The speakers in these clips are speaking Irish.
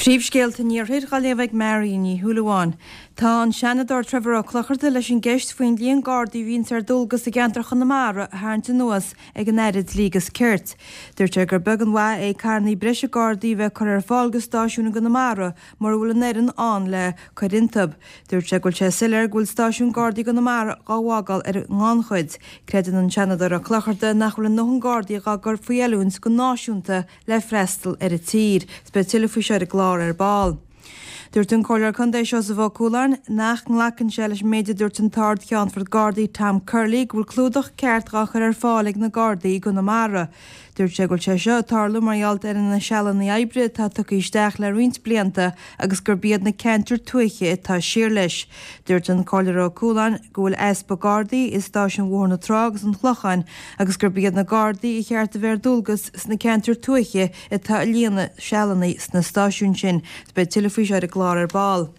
Príomhscéalta an Iarthair dhá léamh ag Mary Ní Shúilleabháin. Tá an Seanadóir Trevor Ó Clochartaigh leis an gceist faoin líon Gardaí a bhíonns ar dualgas i gceantar Chonamara a tharraingt anuas ag an Aire Dlí agus Cirt. Dúirt sé gur beag an mhaith é carrannaí breise Gardaí a bheith curtha ar fáil go stáisiúin i gConamara mura bhfuil an fhoireann ann le cur iontub. Dúirt sé go bhfuil sé soiléir go bhfuil stáisiún Gardaí i gConamara dhá bhfágáil ar an ngannchuid. Creideann an Seanadóir Ó Clochartaigh nach bhfuil a ndóthain Gardaí dhá gcur faoi oiliúint go náisiúnta le freastal ar an tír. Is beidh tuilleadh faoi seo ar an gclár ar ball. Dúirt an Comhairleoir Contae Seosamh Ó Cualáin nach nglacann sé leis an méid a dúirt an tArd-Cheannfort Gardaí Tom Curley go bhfuil clúdach ceart dhá chur ar fáil ag na Gardaí i gConamara. Dúirt sé go bhfuil sé seo ag tarlú mar gheall ar na sealanna oibre atá tugtha isteach le roinnt blianta agus gurb iad na ceantair tuaithe atá siar leis. Dúirt an Comhairleoir Ó Cualáin go bhfuil easpa Gardaí i stáisiúin Bhóthar na Trá agus an Chlocháin agus gurb iad na Gardaí a cheart a bheith ar dualgas sna ceantair tuaithe atá ag líonadh sealanna sna stáisiúin sin. Beidh tuilleadh faoi seo ar an gclár ar ball.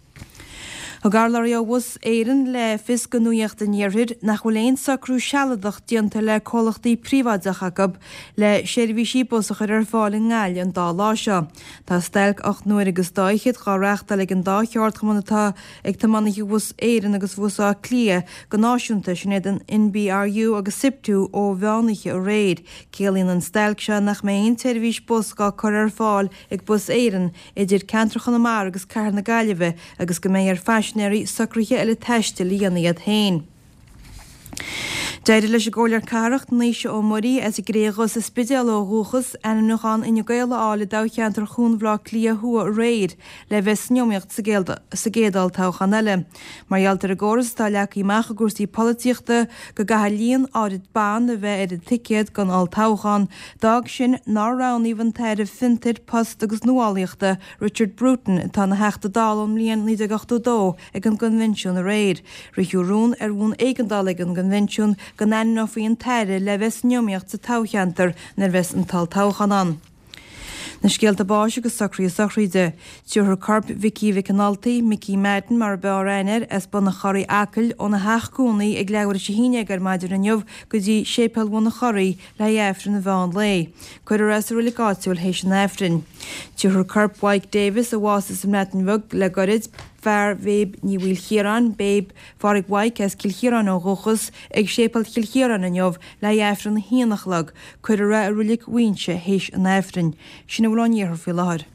Thug urlabhraí ó Bhus Éireann le fios do Nuacht an Iarthair nach bhfuil aon socrú sealadach déanta le comhlachtaí príobháideacha acu le seirbhísí bus a chur ar fáil i nGaillimh an dá lá seo. Tá stailc 8 n-uaire agus dá fhichead dhá reáchtáil ag an dá cheardchumann atá ag tiománaithe Bhus Éireann agus Bhus Átha Cliath go náisiúnta, sin iad an NBRU agus Siptu ó mheánoíche aréir. Ciallaíonn an stailc seo nach mbeidh aon tseirbhís bus dhá cur ar fáil ag Bus Éireann idir ceantar Chonamara agus Cathair na Gaillimhe agus go mbeidh ar phaisinéirí socruithe eile taistil a dhéanamh iad féin. D'éirigh leis an gComhairleoir Cathrach, Naoise Ó Muirí, as an gCré Dhubh sa Spidéal ó dhúchas, ainmniúchán Fhine Gael a fháil i dtoghcheantar Chuan Bhaile Átha Cliath Thuaidh aréir le bheith san iomaíocht sa gcéad olltoghchán eile. Mar gheall ar an gcóras atá leagtha amach i gcúrsaí polaitíochta go gcaithfidh líon áirid ban a bheith ar an ticéad don olltoghchán, d'fhág sin nár roghnaíodh an tAire Fiontair, Post agus Nuálaíochta, Richard Bruton, atá ina Theachta Dála ón mbliain 1982, ag an gcoinbhinsiún aréir. Ritheadh rún ar bhonn éigeandála ag an gcoinbhinsiún go n-ainmneofaí an tAire le bheith san iomaíocht sa toghcheantar nuair a bheas an t-olltoghchán ann. Na scéalta báis agus socruithe sochraide. Tabharfar corp Mhicí Mhic an Ultaigh, Micí Madden mar a b'fhearr aithne air, as Bun an Chorraigh, Acaill, óna theach cónaí ag leathuair tar éis a haon déag ar maidin inniu go dtí Séipéal Bhun an Chorraigh le haghaidh Aifreann an mheán lae. Cuirfear é sa roilig áitiúil théis an Aifrinn. Tabharfar corp Mhaidhc Davis, a bhásaigh sa mBreatain Bheag le goirid, fear Bhéib Ní Mhaoilchiaráin, Béib Phádraig Mhaidhc as Cill Chiaráin ó dhúchas, ag Séipéal Chill Chiaráin inniu le haghaidh Aifreann a haon a chlog. Cuirfear é i Roilig Mhuighinse théis an Aifrinn. Sin a bhfuil ón iarthar faoi láthair.